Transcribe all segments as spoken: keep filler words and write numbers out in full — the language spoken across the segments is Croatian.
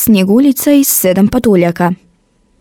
Snjeguljica i sedam patuljaka.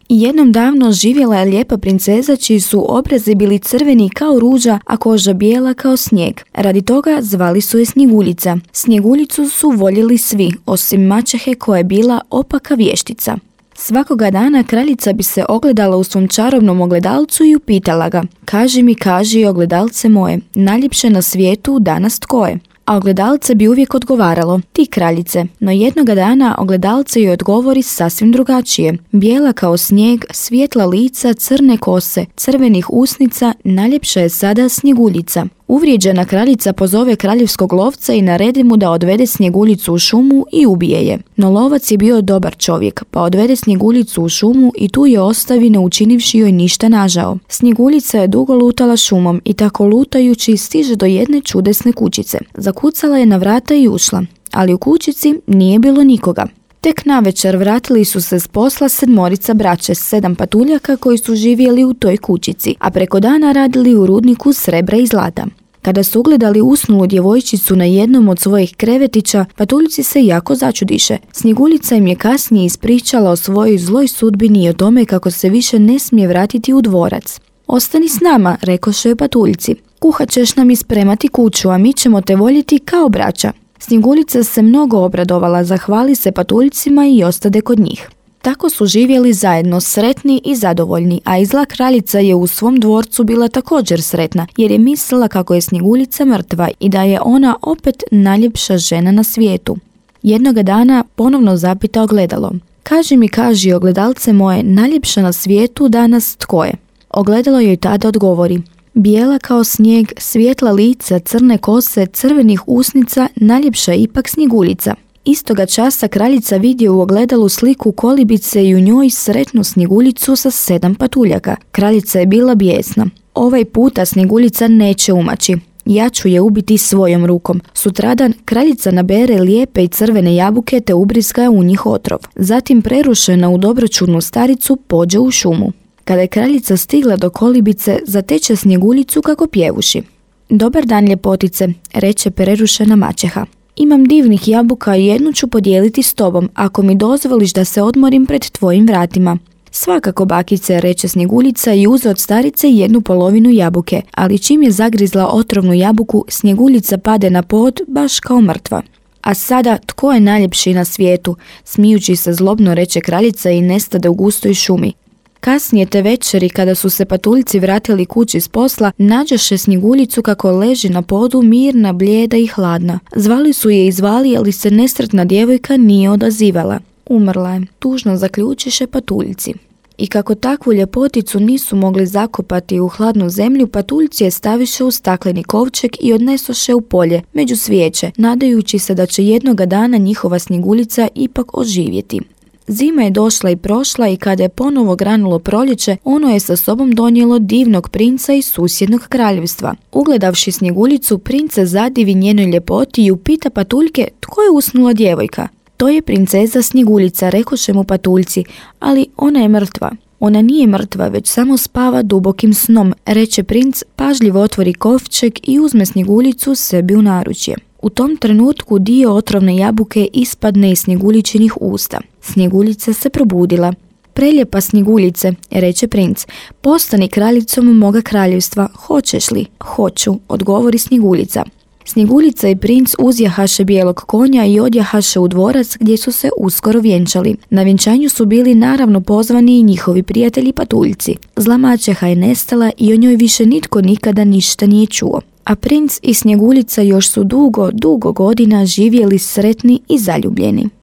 Jednom davno živjela je lijepa princeza čiji su obrazi bili crveni kao ruža, a koža bijela kao snijeg. Radi toga zvali su je Snjeguljica. Snjeguljicu su voljeli svi, osim maćehe koja je bila opaka vještica. Svakoga dana kraljica bi se ogledala u svom čarobnom ogledalcu i upitala ga: "Kaži mi, kaži, ogledalce moje, najljepše na svijetu danas tko je?" A ogledalce bi uvijek odgovaralo: "Ti, kraljice." No jednoga dana ogledalce joj odgovori sasvim drugačije. Bijela kao snijeg, svijetla lica, crne kose, crvenih usnica, najljepša je sada Snjeguljica. Uvrijeđena kraljica pozove kraljevskog lovca i naredi mu da odvede Snjeguljicu u šumu i ubije je. No lovac je bio dobar čovjek, pa odvede Snjeguljicu u šumu i tu je ostavi ne učinivši joj ništa nažao. Snjeguljica je dugo lutala šumom i tako lutajući stiže do jedne čudesne kućice. Zakucala je na vrata i ušla, ali u kućici nije bilo nikoga. Tek navečer vratili su se s posla sedmorica braće, sedam patuljaka koji su živjeli u toj kućici, a preko dana radili u rudniku srebra i zlata. Kada su ugledali usnulu djevojčicu na jednom od svojih krevetića, patuljci se jako začudiše. Snjeguljica im je kasnije ispričala o svojoj zloj sudbini i o tome kako se više ne smije vratiti u dvorac. "Ostani s nama," rekoše joj patuljci. "Kuhat ćeš nam ispremati kuću, a mi ćemo te voljeti kao braća." Snjeguljica se mnogo obradovala, zahvali se patuljcima i ostade kod njih. Tako su živjeli zajedno, sretni i zadovoljni, a i zla kraljica je u svom dvorcu bila također sretna, jer je mislila kako je Snjeguljica mrtva i da je ona opet najljepša žena na svijetu. Jednoga dana ponovno zapita ogledalo: "Kaži mi, kaži, ogledalce moje, najljepša na svijetu danas tko je?" Ogledalo joj tada odgovori: "Bijela kao snijeg, svijetla lica, crne kose, crvenih usnica, najljepša je ipak Snjeguljica." Istoga časa kraljica vidi u ogledalu sliku kolibice i u njoj sretnu Snjeguljicu sa sedam patuljaka. Kraljica je bila bijesna. "Ovaj puta Snjeguljica neće umaći. Ja ću je ubiti svojom rukom." Sutradan kraljica nabere lijepe i crvene jabuke te ubrizga u njih otrov. Zatim prerušena u dobročudnu staricu pođe u šumu. Kada je kraljica stigla do kolibice, zateče Snjeguljicu kako pjevuši. "Dobar dan, ljepotice," reče prerušena maćeha. "Imam divnih jabuka i jednu ću podijeliti s tobom, ako mi dozvoliš da se odmorim pred tvojim vratima." "Svakako, bakice," reče Snjeguljica i uze od starice jednu polovinu jabuke, ali čim je zagrizla otrovnu jabuku, Snjeguljica pade na pod baš kao mrtva. "A sada, tko je najljepši na svijetu?" smijući se zlobno reče kraljica i nestade u gustoj šumi. Kasnije te večeri, kada su se patuljci vratili kući s posla, nađoše Snjeguljicu kako leži na podu mirna, blijeda i hladna. Zvali su je i zvali, ali se nesretna djevojka nije odazivala. "Umrla je," tužno zaključiše patuljci. I kako takvu ljepoticu nisu mogli zakopati u hladnu zemlju, patuljci je staviše u stakleni kovčeg i odnesoše u polje, među svijeće, nadajući se da će jednoga dana njihova Snjeguljica ipak oživjeti. Zima je došla i prošla i kada je ponovo granulo proljeće, ono je sa sobom donijelo divnog princa iz susjednog kraljevstva. Ugledavši Snjeguljicu, princ se zadivi njenoj ljepoti i upita patuljke tko je usnula djevojka. "To je princeza Snjeguljica," rekoše mu patuljci, "ali ona je mrtva." "Ona nije mrtva, već samo spava dubokim snom," reče princ, pažljivo otvori kovčeg i uzme Snjeguljicu sebi u naručje. U tom trenutku dio otrovne jabuke ispadne iz Snjeguljičinih usta. Snjeguljica se probudila. "Prelijepa Snjeguljice," reče princ, "postani kraljicom moga kraljevstva, hoćeš li?" "Hoću," odgovori Snjeguljica. Snjeguljica i princ uzjahaše bijelog konja i odjahaše u dvorac gdje su se uskoro vjenčali. Na vjenčanju su bili naravno pozvani i njihovi prijatelji patuljci. Zla maćeha je nestala i o njoj više nitko nikada ništa nije čuo. A princ i Snjeguljica još su dugo, dugo godina živjeli sretni i zaljubljeni.